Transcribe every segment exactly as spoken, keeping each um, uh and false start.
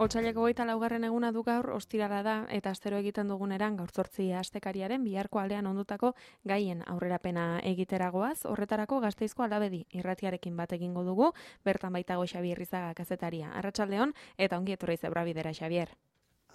Otsaileko hogeita laugarren eguna du gaur, ostirala da, eta astero egiten duguneran gaur zortzi astekariaren biharko aldean ondutako gaien aurrerapena egiteragoaz, horretarako Gasteizko Alabedi irratiarekin bat egingo dugu, bertan baitago Xabier Rizaga kazetaria. Arratsaldeon eta ongi etorri Zebrabidera, Xabier.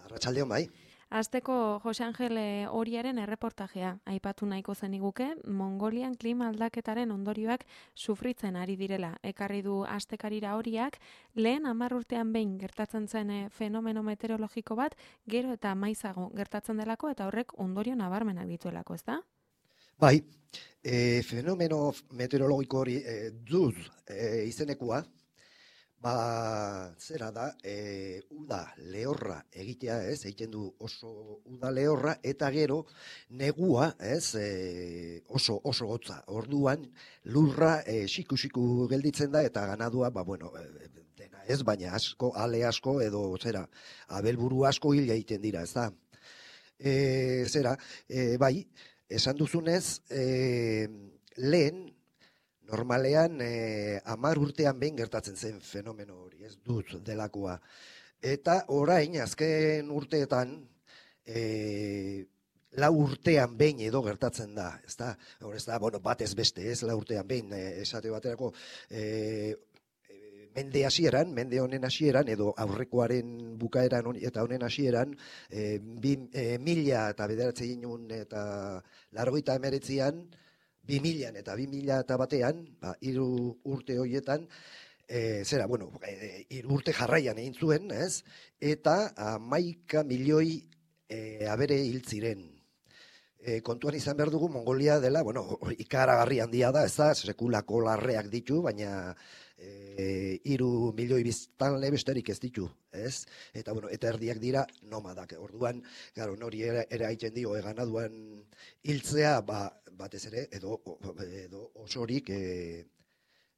Arratsaldeon bai. Asteko Jose Angel Oriaren erreportajea aipatu nahiko zeniguke, Mongolian klima aldaketaren ondorioak sufritzen ari direla. Ekarri du astekarira Oriak, lehen hamar urtean behin gertatzen zen fenomeno meteorologiko bat, gero eta maizago gertatzen delako eta horrek ondorio nabarmenak dituelako, ezta? Bai, e, fenomeno meteorologiko hori e, duz e, izenekua, ba, zera da, e, uda lehorra egitea, ez, egiten du oso uda lehorra, eta gero negua, ez, e, oso oso hotza. Orduan lurra e, xiku-xiku gelditzen da, eta ganadua, ba, bueno, e, dena ez, baina asko, ale asko, edo, zera, abelburu asko hil egiten dira, ez da. E, zera, e, bai, esan duzunez, e, lehen, normalean, eh, hamar urtean behin gertatzen zen fenomeno hori, ez dut delakoa. Eta orain, azken urteetan, eh, lau urtean behin edo gertatzen da, ez da, hor ez da, bueno, batez beste, ez lau urtean behin, eh, esate baterako, eh, mende hasieran, mende honen hasieran, edo aurrekoaren bukaeran eta honen hasieran, eh, bi, eh, mila eta bederatzi ginun eta largoita emeretzian, bi milan eta bi mila eta batean, ba, hiru urte horietan, e, zera, bueno, e, hiru urte jarraian egin zuen, ez? Eta hamaika milioi e, abere hil ziren. E, kontuan izan behar dugu Mongolia dela, bueno, ikaragarri handia da, ez da, sekulako larreak ditu, baina e, hiru milioi biztanle besterik ez ditu, ez? Eta, bueno, eta erdiak dira nomadak. Orduan, garo, nori ere, ere haiten dio, eganaduan hiltzea, ba, batez ere, edo, edo osorik e,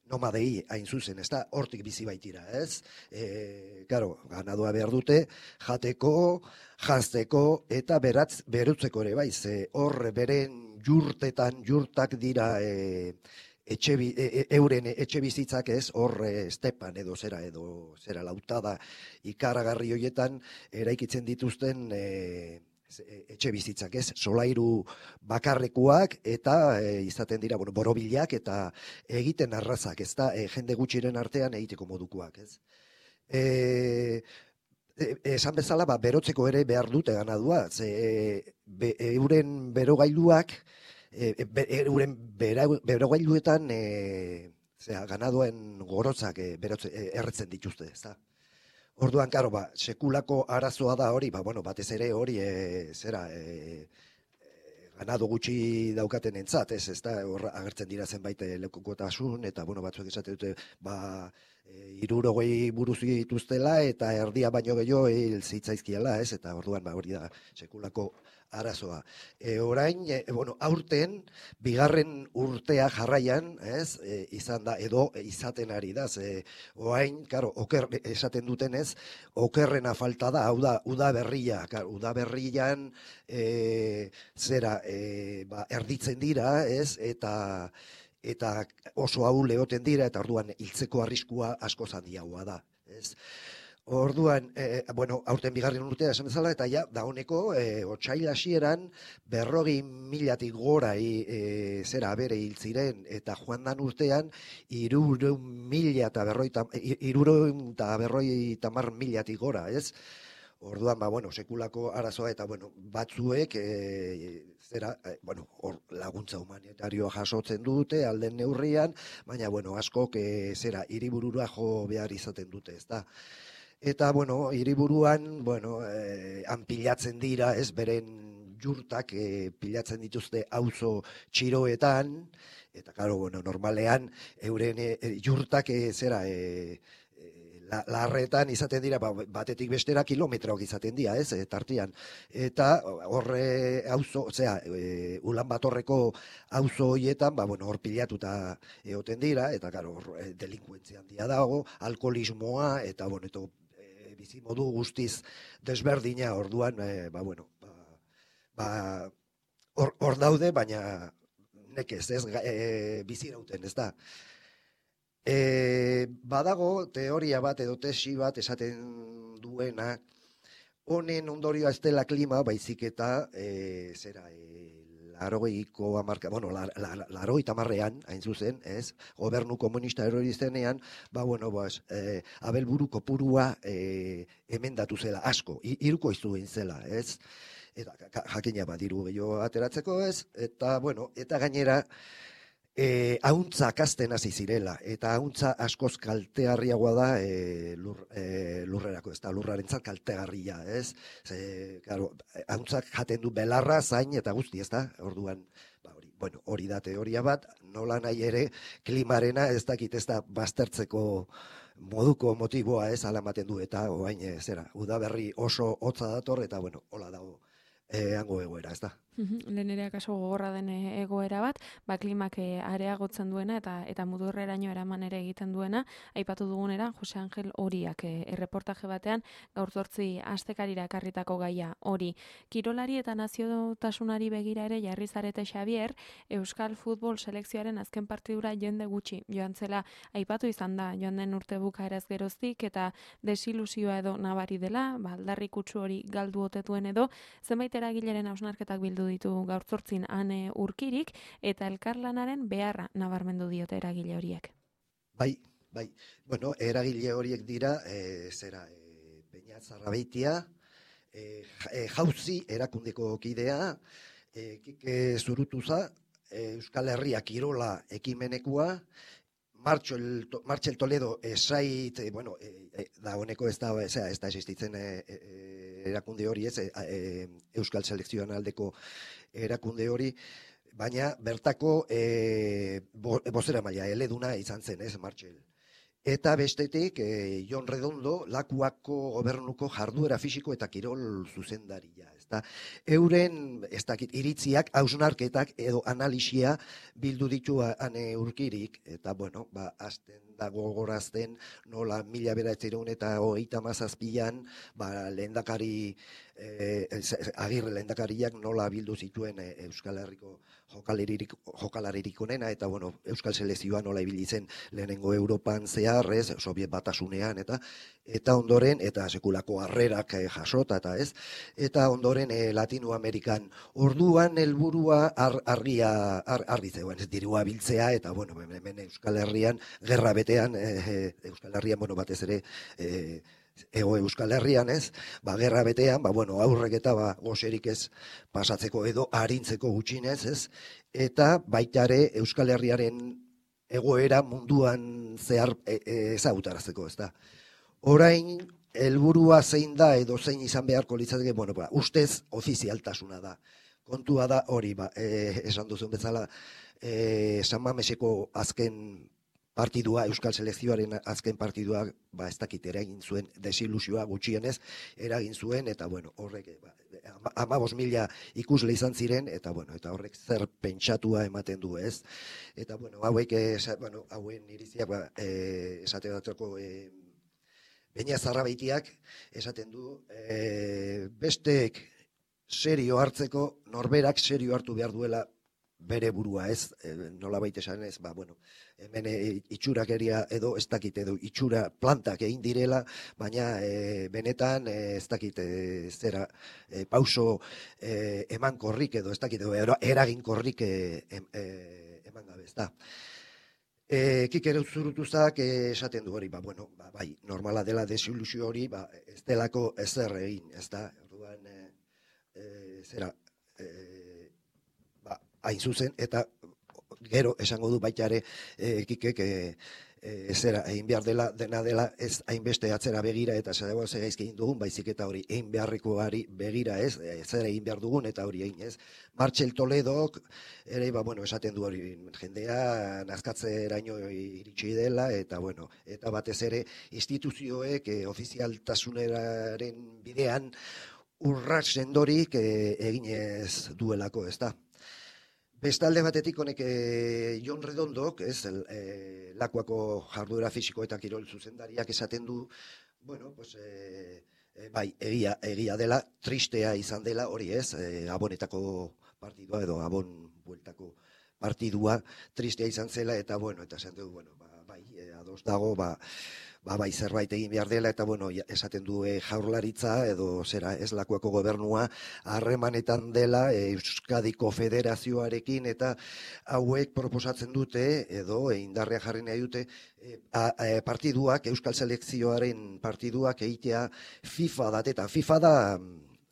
nomadei hain zuzen, ez da, hortik bizi baitira, ez? E, claro, ganadua behar dute, jateko, janzteko, eta beratz, berutzeko ere, bai, ze hor beren jurtetan, jurtak dira e, etxe, e, euren etxe bizitzak ez, hor e, estepan edo zera, edo zera lautada ikaragarri horietan, eraikitzen dituzten e, etxe bizitzak, ez, solairu bakarrekuak eta e, izaten dira, bueno, borobilak eta egiten arrazak, ez da, e, jende gutxiren artean egiteko modukoak, ez. E, e, esan bezala, ba, berotzeko ere behar dute ganadua, ze be, euren berogailuak, e, be, euren berogailuetan e, zera, ganaduen gorotzak e, berotze, e, erretzen dituzte, ez da. Orduan, karo, ba, sekulako arazoa da hori, ba, bueno, batez ere hori, e, zera, e, e, ganado gutxi daukaten entzat, ez, ez da, hor agertzen dira zenbait lekukotasun, eta, bueno, batzuek esate dute, ba, e, irurogei buruz dituztela, eta erdia baino gehiago hil zitzaizkiela, ez, eta orduan, ba, hori da, sekulako arazoa. E, orain, e, bueno, aurten, bigarren urtea jarraian, ez, e, izan da, edo izaten ari da, ze, orain, karo, oker, esaten dutenez, okerrena falta da, hau da, uda berria, karo, uda berrian, e, zera, e, ba, erditzen dira, ez, eta, eta oso ahul egoten dira, eta orduan hiltzeko arriskua asko handiagoa da, ez. Orduan, e, bueno, aurten bigarren urtea esan bezala, eta ja, dauneko, e, otsail hasieran berrogi milatik gora e, zera abere hil ziren, eta joan dan urtean, irureun mila eta berroita, irureun eta berroita mar milatik gora, ez? Orduan, ba, bueno, sekulako arazoa, eta, bueno, batzuek, e, zera, e, bueno, or, laguntza humanitarioa jasotzen dute, alden neurrian, baina, bueno, askok, e, zera, hiriburura jo behar izaten dute, ez da? Eta, bueno, hiriburuan, bueno, eh, han pilatzen dira, ez, beren jurtak eh, pilatzen dituzte auzo txiroetan, eta, claro, bueno, normalean, euren eh, jurtak eh, zera, eh, la, larretan izaten dira, ba, batetik bestera kilometroak izaten dira, ez, eh, tartian. Eta horre auzo, osea, e, ulan batorreko auzo hoietan, ba, bueno, hor pilatuta egoten dira, eta, claro, hor eh, delinkuentzia handia dago, alkoholismoa, eta, bueno, eto, bizimodu guztiz desberdina, orduan, e, ba, bueno, ba, ba, hor, hor daude, baina nekez, ez, e, bizirauten, ez da. E, badago teoria bat edo tesi bat esaten duena, honen ondorioa ez dela klima, baizik eta, e, zera, e, larogeiko amarka, bueno, la, la, la, larogeita marrean, hain zuzen, ez, gobernu komunista erori zenean, ba, bueno, bas, e, abelburu kopurua e, emendatu zela, asko, iruko izu egin zela, ez, eta jakina badiru gehiago ateratzeko, ez, eta, bueno, eta gainera, E, hauntza kasten hasi zirela, eta hauntza askoz kaltegarriagoa da e, lur, e, lurrerako, ez da lurrarentzat kaltegarria, ez? Ze, claro, hauntzak jaten du belarra, zain eta guzti, ez da? Orduan, ba, hori, bueno, hori da teoria bat, nola nahi ere, klimarena ez dakit ez da baztertzeko moduko motiboa ez alamaten du, eta oain, e, zera, udaberri oso hotza dator, eta bueno, hola dago. E, hango egoera, ez da. Lehen ere akaso gogorra den egoera bat, ba klimak areagotzen duena eta eta mudurreraino eraman ere egiten duena, aipatu dugunera Jose Angel Oriak e, erreportaje batean gaur zortzi astekarira ekarritako gaia hori. Kirolari eta naziotasunari begira ere jarri zarete Xavier, Euskal Futbol selekzioaren azken partidura jende gutxi joan zela aipatu izan da joan den urte bukaeraz geroztik eta desilusioa edo nabari dela, ba aldarri kutsu hori galdu ote duen edo zenbait eragileren hausnarketak bildu ditu gaur zortzin Ane Urkirik eta elkarlanaren beharra nabarmendu diote eragile horiek. Bai, bai. Bueno, eragile horiek dira, e, zera, e, Peña Zarrabeitia, e, jauzi erakundeko kidea, e, Kike Zurutuza, e, Euskal Herria Kirola ekimenekua, Martxel, Martxel Toledo esait, e, bueno, e, e, da honeko ez da, ez da, ez da existitzen e, e, erakunde hori, ez, e, e, Euskal Selekzioan aldeko erakunde hori, baina bertako e, bo, bozera maila eleduna izan zen, ez, Martxel. Eta bestetik, e, Jon Redondo, Lakuako gobernuko jarduera fisiko eta kirol zuzendaria. Ezta? Euren, ez dakit, iritziak, hausnarketak edo analisia bildu ditu Ane Urkirik, eta, bueno, ba, azten dago gorazten, nola mila bederatziehun eta hogeita hamazazpian, ba, lehendakari, e, agirre lehendakariak nola bildu zituen e, Euskal Herriko jokalaririk, jokalaririk onena, eta, bueno, Euskal Selekzioa nola ibili zen lehenengo Europan zehar, ez, Sobiet Batasunean, eta eta ondoren, eta sekulako harrerak eh, jasota, eta ez, eta ondoren eh, Latinoamerikan. Orduan helburua ar, argia, ar, argi zegoen, ez dirua biltzea, eta, bueno, hemen Euskal Herrian, gerra betean, eh, Euskal Herrian, bueno, batez ere, eh, Ego Euskal Herrian, ez, ba, gerra betean, ba, bueno, aurrek eta ba, goserik ez pasatzeko edo arintzeko gutxinez, ez, eta baitare Euskal Herriaren egoera munduan zehar e, e, ezagutarazteko, ez da. Orain, helburua zein da edo zein izan beharko litzateke, bueno, ba, ustez ofizialtasuna da. Kontua da hori, ba, e, esan duzun bezala, e, San Mameseko azken partidua, Euskal Selekzioaren azken partidua, ba, ez dakit eragin zuen desilusioa gutxienez, eragin zuen, eta, bueno, horrek, ba, hamabost mila ikusle izan ziren, eta, bueno, eta horrek zer pentsatua ematen du, ez? Eta, bueno, hauek, esa, bueno, hauen iriziak, ba, e, esate batzako, e, Peña Zarrabeitiak esaten du, e, bestek serio hartzeko, norberak serio hartu behar duela bere burua, ez, e, nola baita esan ez, ba, bueno, hemen e, itxurakeria edo ez dakit edo itxura plantak egin direla, baina e, benetan e, ez dakit e, zera e, pauso e, eman korrik edo ez dakit edo eragin korrik e, e, eman gabe, ez da. E, Kikere Zurutuzak esaten du hori, ba, bueno, ba, bai, normala dela desilusio hori, ba, ez delako ezer egin, ez da, orduan, e, e, zera, e, hain zuzen, eta gero esango du baita ere e, Kikek e, e, zera egin behar dela, dena dela ez hainbeste atzera begira eta zeragoa ze gaizki egin dugun, baizik eta hori egin beharrekoari begira ez, e, zer egin behar dugun eta hori egin ez. Martxel Toledok ere, ba, bueno, esaten du hori jendea nazkatzeraino iritsi dela eta, bueno, eta batez ere instituzioek e, ofizialtasuneraren bidean urrats sendorik e, eginez duelako, ez da. Bestalde batetik honek e, Jon Redondok, ez, el, e, Lakuako jarduera fisiko eta kirol zuzendariak esaten du, bueno, pues, e, e, bai, egia, egia dela, tristea izan dela, hori ez, e, Gabonetako partidua edo Gabon bueltako partidua, tristea izan zela, eta, bueno, eta esan dugu, bueno, ba, bai, e, ados dago, ba, ba, bai zerbait egin behar dela, eta bueno, esaten du e, jaurlaritza edo zera eslakoako gobernua harremanetan dela e, Euskadiko Federazioarekin, eta hauek proposatzen dute edo e, indarrea jarri nahi dute e, a, a, partiduak, Euskal Selekzioaren partiduak egitea FIFA datetan. FIFA da,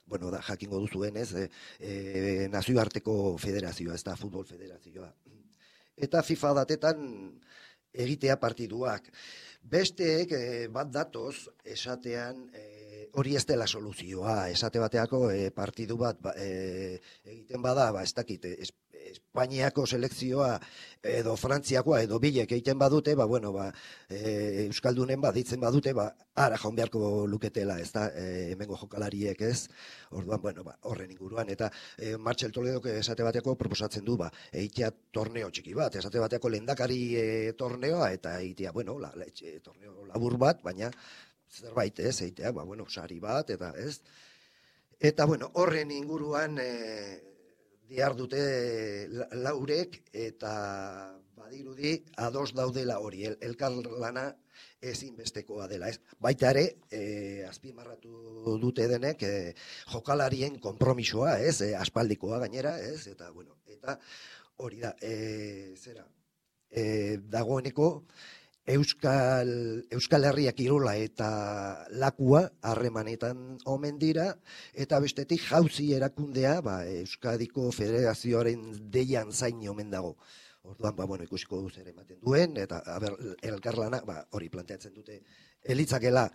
bueno, da, jakingo duzuen ez, e, e, nazioarteko federazioa, ez da futbol federazioa. Eta FIFA datetan egitea partiduak. Besteek e, bat datoz esatean e, hori ez dela soluzioa, esate bateako e, partidu bat ba, e, egiten bada, ba, ez dakit, es, Espainiako selekzioa edo Frantziakoa edo bilek egiten badute, ba, bueno, ba, e, Euskaldunen baditzen badute, ba, ara jaun beharko luketela, ez da, e, hemengo jokalariek ez, orduan, bueno, ba, horren inguruan, eta e, Martxel Toledok esate bateako proposatzen du, ba, egitea torneo txiki bat, esate bateako lehendakari e, torneoa, eta egitea, bueno, la, la, etxe, torneo labur bat, baina zerbait ez, egitea, ba, bueno, sari bat, eta ez, eta, bueno, horren inguruan, e, dihar dute laurek, eta badirudi ados daudela hori, el, elkarlana ezinbestekoa dela, ez? Baita ere, e, azpimarratu dute denek, e, jokalarien konpromisoa, ez? E, aspaldikoa gainera, ez? Eta, bueno, eta hori da, e, zera, e, dagoeneko, Euskal, Euskal Herria kirola eta lakua harremanetan omen dira, eta bestetik jauzi erakundea ba, Euskadiko Federazioaren deian zain omen dago. Orduan, ba, bueno, ikusiko duz ere ematen duen, eta aber, elkarlana ba, hori planteatzen dute elitzakela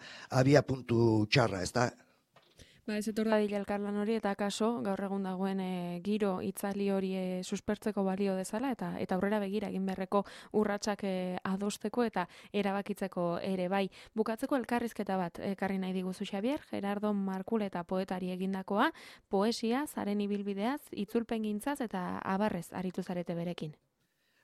abia puntu txarra, ez da? Ba, ez etor dadila elkarlan hori, eta kaso, gaur egun dagoen e, giro itzali hori e, suspertzeko balio dezala, eta eta aurrera begira egin beharreko urratsak e, adosteko eta erabakitzeko ere bai. Bukatzeko elkarrizketa bat ekarri nahi diguzu Xabier, Gerardo Markuleta poetari egindakoa, poesia, zaren ibilbideaz, itzulpengintzaz eta abarrez aritu zarete berekin.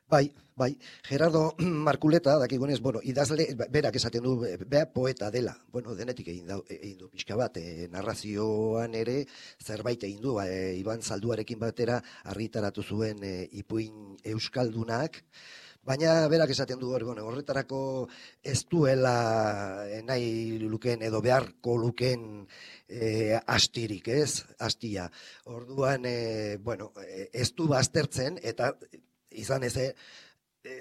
Bai, bai, Gerardo Markuleta, dakigunez, bueno, idazle, berak esaten du, bea poeta dela, bueno, denetik egin, da, egin du pixka bat, e, narrazioan ere zerbait egin du, e, Iban Zalduarekin batera argitaratu zuen e, ipuin euskaldunak, baina berak esaten du, bueno, horretarako ez duela nahi luken edo beharko luken e, astirik, ez, astia. Orduan, e, bueno, ez du baztertzen, eta izan ez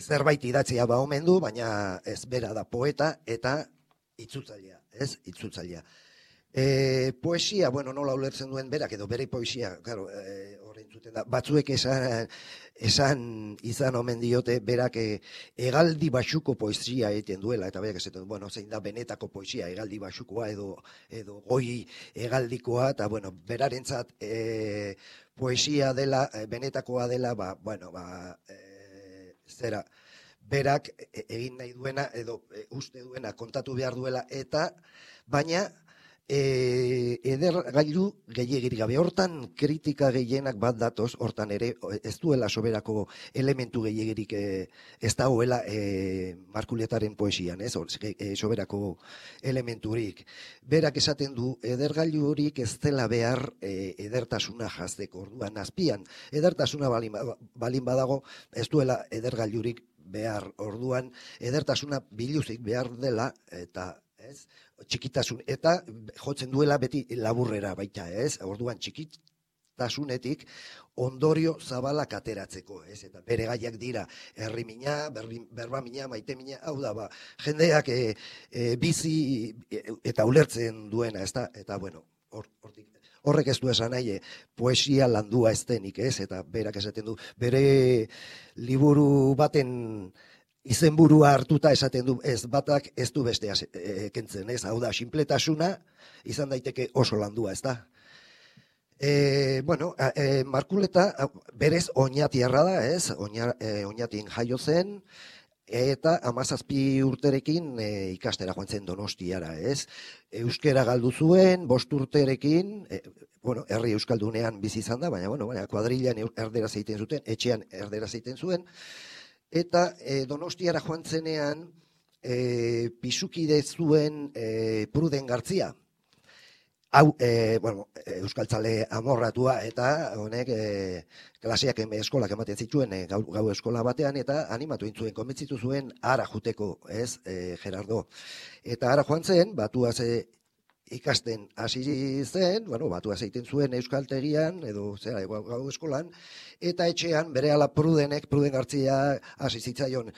zerbait idatzia ba omen du, baina ez bera da poeta eta itzultzailea, ez? Itzultzailea. E, poesia, bueno, nola ulertzen duen berak edo bere poesia, claro, e, horrein zuten da. Batzuek esan, esan izan omen diote berak e, hegaldi baxuko poesia egiten duela, eta berak esaten du, bueno, zein da benetako poesia, hegaldi baxukoa edo edo goi hegaldikoa, eta bueno, berarentzat e, poesia dela, benetakoa dela, ba, bueno, ba, e, zera, berak egin nahi duena, edo e, uste duena kontatu behar duela, eta, baina, e, eder gailu gehiagirik gabe, hortan kritika gehienak bat datoz, hortan ere, ez duela soberako elementu gehiagirik e, ez dagoela e, Markuletaren poesian, ez, e, soberako elementurik. Berak esaten du, edergailu horik ez dela behar e, edertasuna jazteko, orduan azpian, edertasuna balin, balin badago, ez duela edergailurik behar, orduan, edertasuna biluzik behar dela, eta ez, txikitasun, eta jotzen duela beti laburrera baita, ez, orduan txikitasunetik ondorio zabalak ateratzeko, ez, eta bere gaiak dira, herrimina, berbamina, maitemina, hau da, ba, jendeak e, e, bizi eta ulertzen duena, ez da, eta bueno, hor, hortik, horrek ez du esan nahi, poesia landua ez denik, ez, eta berak esaten du, bere liburu baten izenburua hartuta esaten du, ez batak ez du bestea e, kentzen, ez, hau da, sinpletasuna izan daiteke oso landua, ez da. E, bueno, e, Markuleta berez oñatiarra da, ez, Oña, e, oñatin jaio zen, eta hamazazpi urterekin e, ikastera joan zen Donostiara, ez. Euskera galdu zuen, bost urterekin, e, bueno, herri euskaldunean bizi izan da, baina, bueno, baina, kuadrilan erderaz egiten zuten, etxean erderaz egiten zuen, eta e, Donostiara joan zenean e, pisukide zuen e, Pruden Gartzia. hau, e, bueno, euskaltzale amorratua, eta honek e, klaseak eme eskolak ematen zituen e, gau, gau eskola batean, eta animatu intzuen, konbentzitu zuen ara juteko, ez, e, Gerardo. Eta ara joan zen, batua ze ikasten hasi zen, bueno, batua zeiten zuen euskaltegian, edo zera, gau, gau eskolan, eta etxean berehala Prudenek, Pruden Gartzia hasi zitzaion.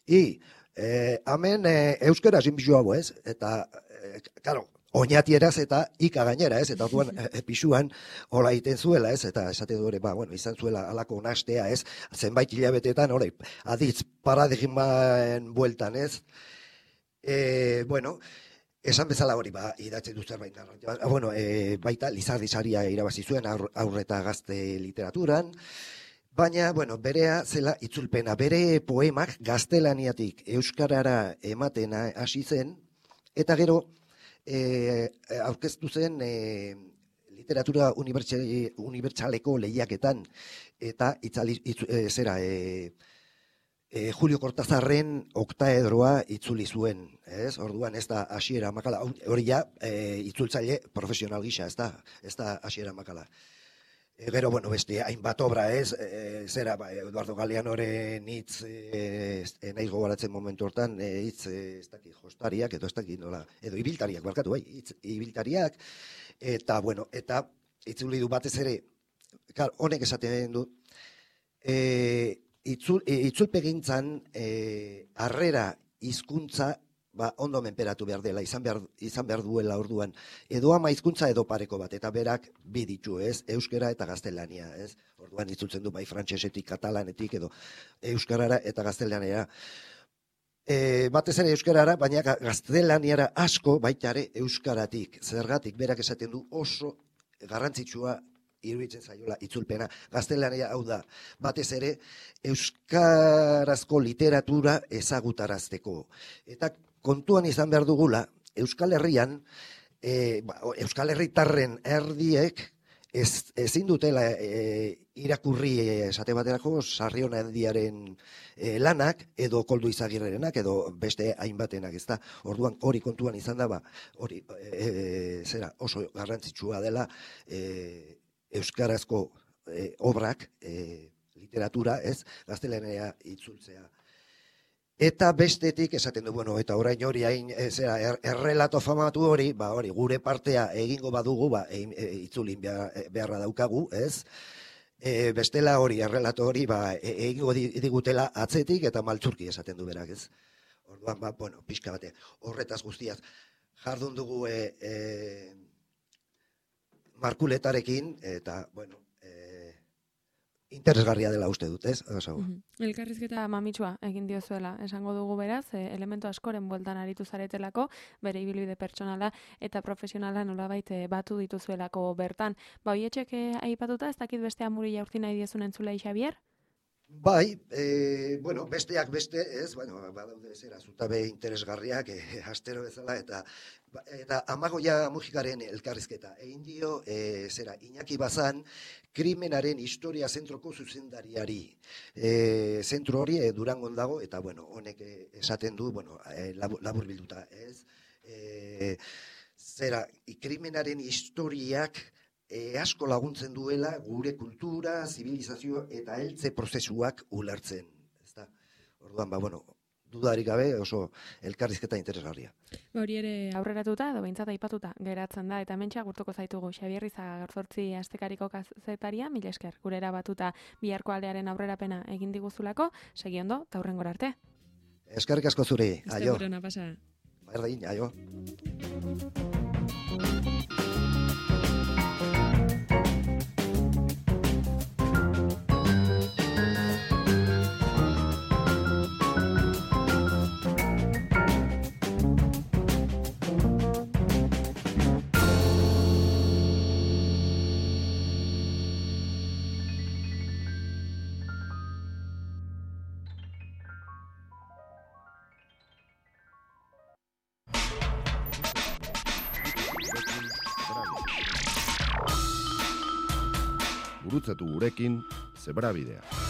I, e, hemen e, euskara zinbizu hau, ez? Eta, e, karo, oinatieraz eta ika gainera, ez? Eta orduan e, pisuan hola egiten zuela, ez? Eta esate dure, ba, bueno, izan zuela alako nastea, ez? Zenbait hilabetetan, hori, aditz paradigmaen bueltan, ez? E, bueno, esan bezala hori, ba, idatzen du zerbait narratibaz. Bueno, e, baita, Lizardi saria irabazi zuen aur, aurreta gazte literaturan, baina, bueno, berea zela itzulpena, bere poemak gaztelaniatik euskarara ematen hasi zen, eta gero, E, aurkeztu zen e, literatura unibertsaleko lehiaketan, eta itzali, itzu, e, zera, e, e, Julio Cortazarren oktaedroa itzuli zuen, ez? Orduan ez da hasiera makala, hori ja e, itzultzaile profesional gisa, ez da, ez da hasiera makala. E, gero, bueno, beste, hainbat obra, ez, e, zera, ba, Eduardo Galeanoren hitz, e, e, nahiz gogoratzen momentu hortan, e, hitz, e, ez dakit, jostariak, edo ez dakit, nola, edo ibiltariak, barkatu, bai, hitz, ibiltariak, eta, bueno, eta, itzuli du batez ere, klar, honek esaten du, e, itzul, e, itzulpegintzan, e, harrera hizkuntza, ba, ondo menperatu behar dela, izan behar, izan behar duela orduan, edo ama hizkuntza edo pareko bat, eta berak bi ditu, ez, euskara eta gaztelania, ez, orduan itzultzen du bai frantsesetik, katalanetik, edo euskarara eta gaztelaniara. E, batez ere euskarara, baina gaztelaniara asko baitare euskaratik, zergatik berak esaten du oso garrantzitsua iruditzen zaiola itzulpena. Gaztelania hau da, batez ere euskarazko literatura ezagutarazteko. Eta kontuan izan behar dugula, Euskal Herrian, e, ba, Euskal Herritarren erdiek ez, ezin dutela e, irakurri e, esate baterako Sarriona erdiaren e, lanak, edo Koldo Izagirrerenak, edo beste hainbatenak, ez da. Orduan hori kontuan izan da, ba, hori e, zera oso garrantzitsua dela e, euskarazko e, obrak, e, literatura, ez, gaztelania itzultzea. Eta bestetik esaten du, bueno, eta orain hori hain, zera, er, errelato famatu hori, ba hori, gure partea egingo badugu, ba, e, e, itzulin behar, beharra daukagu, ez? E, bestela hori, errelato hori, ba, e, egingo digutela atzetik eta maltzurki esaten du berak, ez? Orduan, ba, bueno, pixka bate, horretaz guztiaz, jardun dugu e, e, markuletarekin, eta, bueno, interesgarria dela uste dut, ez? Mm-hmm. Elkarrizketa mamitsua egin diozuela, esango dugu beraz, e, elementu askoren bueltan aritu zaretelako, bere ibilbide pertsonala eta profesionala nolabait batu dituzuelako bertan. Ba, hoietxek aipatuta, ez dakit beste amuri jaurti nahi diezun entzulei, Xabier? Bai, e, bueno, besteak beste, ez, bueno, badaude zera, zutabe interesgarriak, e, astero bezala, eta eta Amagoia Mujikaren elkarrizketa. Egin dio, e, zera, Iñaki Bazan, krimenaren historia zentroko zuzendariari. E, zentro hori e, Durangon dago, eta, bueno, honek esaten du, bueno, e, labur, labur bilduta, ez? E, zera, krimenaren historiak E, asko laguntzen duela gure kultura, zibilizazio eta heltze prozesuak ulertzen. Ezta? Orduan, ba, bueno, dudarik gabe oso elkarrizketa interesgarria. Hori ere aurreratuta edo behintzat aipatuta geratzen da, eta hementxe agurtuko zaitugu Xabier Izaga gaur zortzi astekariko kazetaria, mila esker, gure erabatuta biharko aldearen aurrerapena egin diguzulako, segi ondo, eta hurrengora arte. Eskerrik asko zuri, aio. Estegurona pasa. Berdin, aio. Gurutzatu gurekin Zebrabidea.